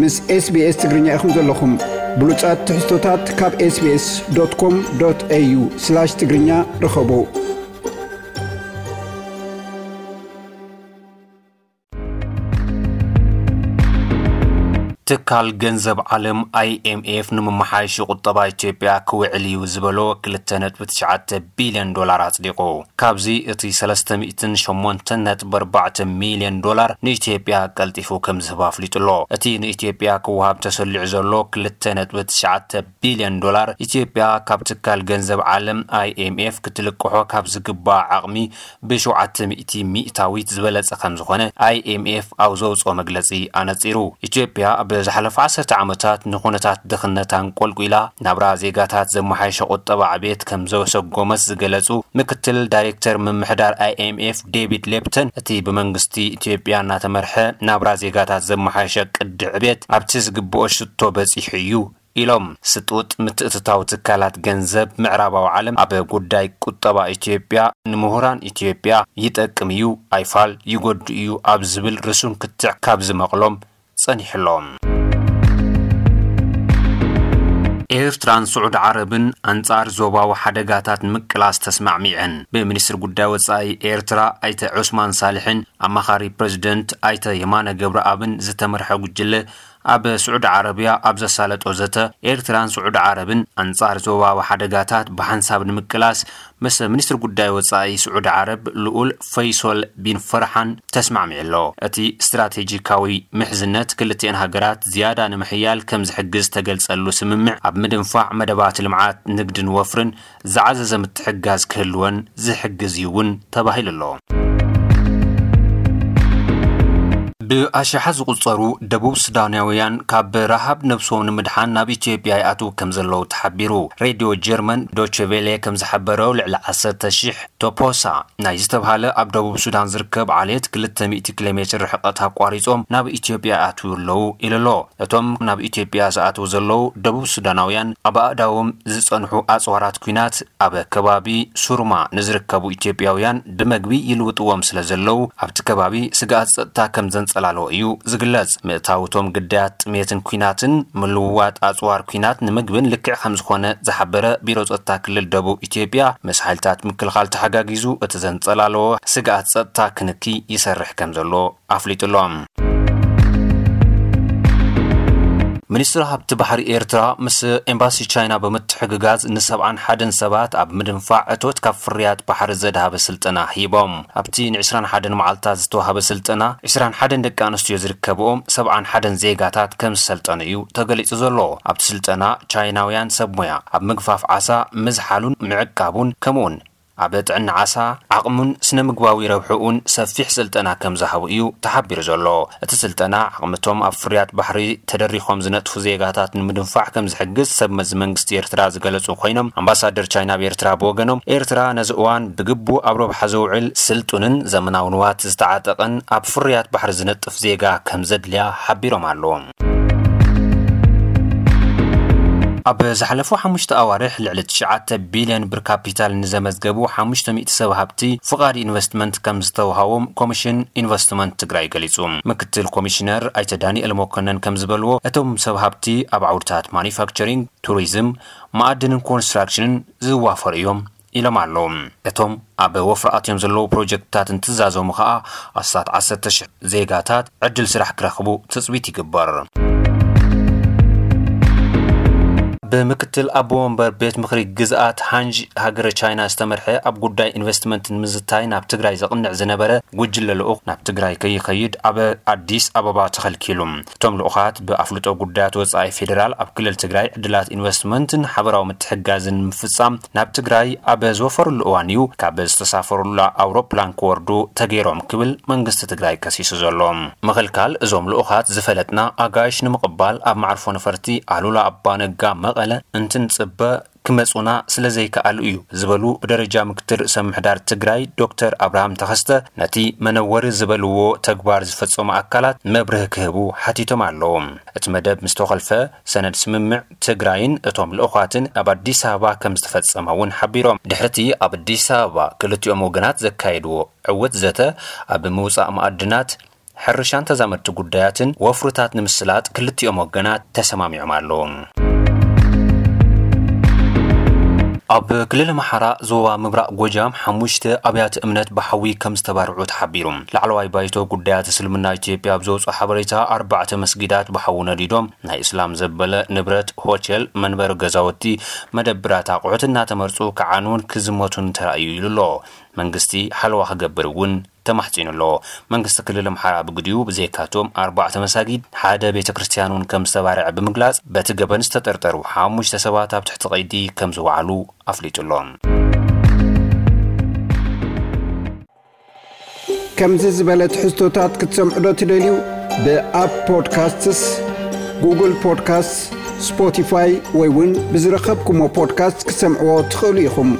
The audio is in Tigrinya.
ምስ SBS ትግርኛ ኢኹም ዘለኹም። ብሉጻት ትሕዝቶታት ካብ SBS.com.au/ትግርኛ ርኸቡ። ትካል ገንዘብ ዓለም፣ ኣይኤምኤፍ፣ ንምመሓየሺ ቁጠባ ኢትዮጵያ ክውዕል እዩ ዝበሎ ክልተ ነጥቢ ትሽዓተ ቢልዮን ዶላር ኣጽዲቑ። ካብዚ እቲ ሰለስተ ሚእትን ሸሞንተን ነጥቢ ኣርባዕተ ሚልዮን ዶላር ንኢትዮጵያ ቀልጢፉ ከም ዝህባ ኣፍሊጡ ኣሎ። እቲ ንኢትዮጵያ ክወሃብ ተሰሊዑ ዘሎ ክልተ ነጥቢ ትሽዓተ ቢልዮን ዶላር፣ ኢትዮጵያ ካብ ትካል ገንዘብ ዓለም፣ ኣይኤምኤፍ፣ ክትልቅሖ ካብ ዝግባኣ ዓቕሚ ብሸውዓተ ሚእቲ ሚእታዊት ዝበለጸ ከም ዝኾነ ኣይኤምኤፍ ኣብ ዘውጽኦ መግለጺ ኣነጺሩ። ኢትዮጵያ ኣብ ዝሓለፈ ዓሰርተ ዓመታት ንኹነታት ድኽነት ኣንቆልቂላ ናብራ ዜጋታት ዘመሓየሸ ቁጠባ ዕቤት ከም ዘሰጎመት ዝገለጹ ምክትል ዳይሬክተር ምምሕዳር ኣይኤምኤፍ ዴቪድ ሌፕተን፣ እቲ ብመንግስቲ ኢትዮጵያ እናተመርሐ ናብራ ዜጋታት ዘመሓየሸ ቅዲ ዕቤት ኣብቲ ዝግብኦ ሽቶ በጺሑ እዩ ኢሎም። ስጡጥ ምትእትታው ትካላት ገንዘብ ምዕራባዊ ዓለም ኣብ ጉዳይ ቁጠባ ኢትዮጵያ ንምሁራን ኢትዮጵያ ይጠቅም እዩ፣ ኣይፋል ይጎድእ እዩ ኣብ ዝብል ርሱን ክትዕ ካብ ዝመቕሎም ጸኒሑ ኣሎ። ኤርትራን ስዑዲ ዓረብን ኣንጻር ዞባዊ ሓደጋታት ንምቅላስ ተስማዕሚዐን። ብሚኒስትሪ ጉዳይ ወጻኢ ኤርትራ ኣይተ ዑስማን ሳልሕን ኣማኻሪ ፕረዚደንት ኣይተ የማነ ገብረኣብን ዝተመርሐ ጉጅለ ኣብ ስዑዲ ዓረብያ ኣብ ዘሳለጦ ዘተ፣ ኤርትራን ስዑዲ ዓረብን ኣንጻር ዞባዊ ሓደጋታት ብሓንሳብ ንምቅላስ ምስ ሚኒስትሪ ጉዳይ ወጻኢ ስዑዲ ዓረብ ልኡል ፈይሶል ቢን ፈርሓን ተስማዕሚዑ ኣሎ። እቲ ስትራቴጂካዊ ምሕዝነት ክልቲአን ሃገራት ዝያዳ ንምሕያል ከም ዝሕግዝ ዝተገልጸሉ ስምምዕ፣ ኣብ ምድንፋዕ መደባት ልምዓት፣ ንግድን ወፍርን ዝዓዘዘ ምትሕግጋዝ ክህልወን ዝሕግዝ እዩ እውን ተባሂሉ ኣሎ። ብኣሽሓት ዝቑጸሩ ደቡብ ሱዳናውያን ካብ ረሃብ ነብሶም ንምድሓን ናብ ኢትዮጵያ ይኣትዉ ከም ዘለዉ ተሓቢሩ። ሬድዮ ጀርመን ዶቼ ቬሌ ከም ዝሓበሮ፣ ልዕሊ ዓሰርተ ሺሕ ቶፖሳ ናይ ዝተብሃለ ኣብ ደቡብ ሱዳን ዝርከብ ዓሌት ክልተ ሚእቲ ኪሎ ሜትር ርሕቀት ኣቋሪጾም ናብ ኢትዮጵያ ይኣትዉ ኣለዉ ኢሉ ኣሎ። እቶም ናብ ኢትዮጵያ ዝኣትዉ ዘለዉ ደቡብ ሱዳናውያን፣ ኣብ ኣእዳዎም ዝጸንሑ ኣጽዋራት ኲናት ኣብ ከባቢ ሱርማ ንዝርከቡ ኢትዮጵያውያን ብመግቢ ይልውጥዎም ስለ ዘለዉ፣ ኣብቲ ከባቢ ስግኣት ጸጥታ ከም ዘንጸላለዎ እዩ ዝግለጽ። ምእታው እቶም ግዳያት ጥሜትን ኲናትን ምልውዋጥ ኣጽዋር ኲናት ንምግብን ልክዕ ከም ዝኾነ ዝሓበረ ቢሮ ጸጥታ ክልል ደቡብ ኢትዮጵያ፣ ምስ ሓይልታት ምክልኻል ተሓጋጊዙ እቲ ዘንጸላለዎ ስግኣት ጸጥታ ክንኪ ይሰርሕ ከም ዘሎ ኣፍሊጡ ኣሎ። ሚኒስትሪ ሃብቲ ባሕሪ ኤርትራ ምስ ኤምባሲ ቻይና ብምትሕግጋዝ ንሰብዓን ሓደን ሰባት ኣብ ምድንፋዕ እቶት ካብ ፍርያት ባሕሪ ዘድሃበ ስልጠና ሂቦም። ኣብቲ ንዕስራን ሓደን መዓልታት ዝተዋህበ ስልጠና፣ ዕስራን ሓደን ደቂ ኣንስትዮ ዝርከብኦም ሰብዓን ሓደን ዜጋታት ከም ዝሰልጠኑ እዩ ተገሊጹ ዘሎ። ኣብቲ ስልጠና ቻይናውያን ሰብ ሞያ ኣብ ምግፋፍ ዓሳ ምዝሓሉን ምዕቃቡን፣ ከምኡውን ኣብ ጥዕና ዓሳ ዓቕሙን ስነ ምግባዊ ረብሕኡን ሰፊሕ ስልጠና ከም ዝሃቡ እዩ ተሓቢሩ ዘሎ። እቲ ስልጠና ዓቕምቶም ኣብ ፍርያት ባሕሪ ተደሪኾም ዝነጥፉ ዜጋታት ንምድንፋዕ ከም ዝሕግዝ ሰብ መዚ መንግስቲ ኤርትራ ዝገለጹ ኮይኖም፣ ኣምባሳደር ቻይና ኣብ ኤርትራ ብወገኖም፣ ኤርትራ ነዚ እዋን ብግቡእ ኣብ ረብሓ ዘውዕል ስልጡንን ዘመናዊ ንዋት ዝተዓጠቐን ኣብ ፍርያት ባሕሪ ዝነጥፍ ዜጋ ከም ዘድልያ ሓቢሮም ኣለዉ። ኣብ ዝሓለፉ ሓሙሽተ ኣዋርሕ ልዕሊ ትሽዓተ ቢልዮን ብር ካፒታል ንዘመዝገቡ ሓሙሽተ ሚእቲ ሰብ ሃብቲ ፍቓድ ኢንቨስትመንት ከም ዝተውሃቦም ኮሚሽን ኢንቨስትመንት ትግራይ ገሊጹ። ምክትል ኮሚሽነር ኣይተ ዳንኤል መኮነን ከም ዝበልዎ፣ እቶም ሰብ ሃብቲ ኣብ ዓውድታት ማኒፋክቸሪንግ፣ ቱሪዝም፣ መኣድንን ኮንስትራክሽንን ዝዋፈሩ እዮም ኢሎም ኣለዉ። እቶም ኣብ ወፍሪ ኣትዮም ዘለዉ ፕሮጀክትታት እንትዛዘሙ ከኣ ኣስታት ዓሰርተ ሽሕ ዜጋታት ዕድል ስራሕ ክረኽቡ ትጽቢት ይግበር። ብምክትል ኣቦ ወንበር ቤት ምኽሪ ግዝኣት ሃንዥ ሃገረ ቻይና ዝተመርሐ ኣብ ጉዳይ ኢንቨስትመንት ንምዝታይ ናብ ትግራይ ዘቕንዕ ዝነበረ ጉጅለ ልኡኽ ናብ ትግራይ ከይኸይድ ኣብ ኣዲስ ኣበባ ተኸልኪሉ። እቶም ልኡኻት ብኣፍልጦ ጉዳያት ወጻኢ ፌዴራል ኣብ ክልል ትግራይ ዕድላት ኢንቨስትመንትን ሓበራዊ ምትሕግጋዝን ንምፍጻም ናብ ትግራይ ኣብ ዝወፈሩሉ እዋን እዩ ካብ ዝተሳፈሩላ ኣውሮፕላን ክወርዱ ተገይሮም ክብል መንግስቲ ትግራይ ከሲሱ ዘሎ። ምኽልካል እዞም ልኡኻት ዝፈለጥና ኣጋይሽ ንምቕባል ኣብ መዓርፎ ነፈርቲ ኣሉላ ኣባነጋ መቐለ እንትንጽበ ክመጹና ስለ ዘይከኣሉ እዩ ዝበሉ ብደረጃ ምክትል ርእሰ ምምሕዳር ትግራይ ዶክተር ኣብርሃም ተኸስተ፣ ነቲ መነወሪ ዝበልዎ ተግባር ዝፈጸሙ ኣካላት መብርሂ ክህቡ ሓቲቶም ኣለዉ። እቲ መደብ ምስ ተኸልፈ፣ ሰነድ ስምምዕ ትግራይን እቶም ልኡኻትን ኣብ ኣዲስ ኣበባ ከም ዝተፈጸመ እውን ሓቢሮም። ድሕርቲ ኣብ ኣዲስ ኣበባ ክልቲኦም ወገናት ዘካየድዎ ዕውት ዘተ፣ ኣብ ምውጻእ ማዕድናት፣ ሕርሻን ተዛመድቲ ጉዳያትን ወፍርታት ንምስላጥ ክልቲኦም ወገናት ተሰማሚዖም ኣለዉ። ኣብ ክልል ኣምሓራ ዞባ ምብራቕ ጎጃም ሓሙሽተ ኣብያተ እምነት ብሓዊ ከም ዝተባርዑ ተሓቢሩ። ላዕለዋይ ባይቶ ጉዳያት እስልምና ኢትዮጵያ ኣብ ዘውፅኦ ሓበሬታ፣ ኣርባዕተ መስጊዳት ብሓዊ ነዲዶም፣ ናይ እስላም ዘበለ ንብረት፣ ሆቴል፣ መንበሪ ገዛውቲ፣ መደብራት ኣቑሑት እናተመርፁ ክዓንውን ክዝመቱን ተራእዩ ኢሉ ኣሎ። መንግስቲ ሓለዋ ክገብር እውን ተማሕፂኑ ኣሎ። መንግስቲ ክልል ኣምሓራ ብግዲኡ ብዘይካቶም ኣርባዕተ መሳጊድ ሓደ ቤተ ክርስቲያን እውን ከም ዝተባረዐ ብምግላፅ፣ በቲ ገበን ዝተጠርጠሩ ሓሙሽተ ሰባት ኣብ ትሕቲ ቀይዲ ከም ዝወዓሉ ኣፍሊጡ ኣሎ። ከምዚ ዝበለ ትሕዝቶታት ክትሰምዑ ዶ ትደልዩ? ብኣፕ ፖድካስትስ፣ ጉግል ፖድካስትስ፣ ስፖቲፋይ ወይ እውን ብዝረኸብኩሞ ፖድካስት ክትሰምዕዎ ትኽእሉ ኢኹም።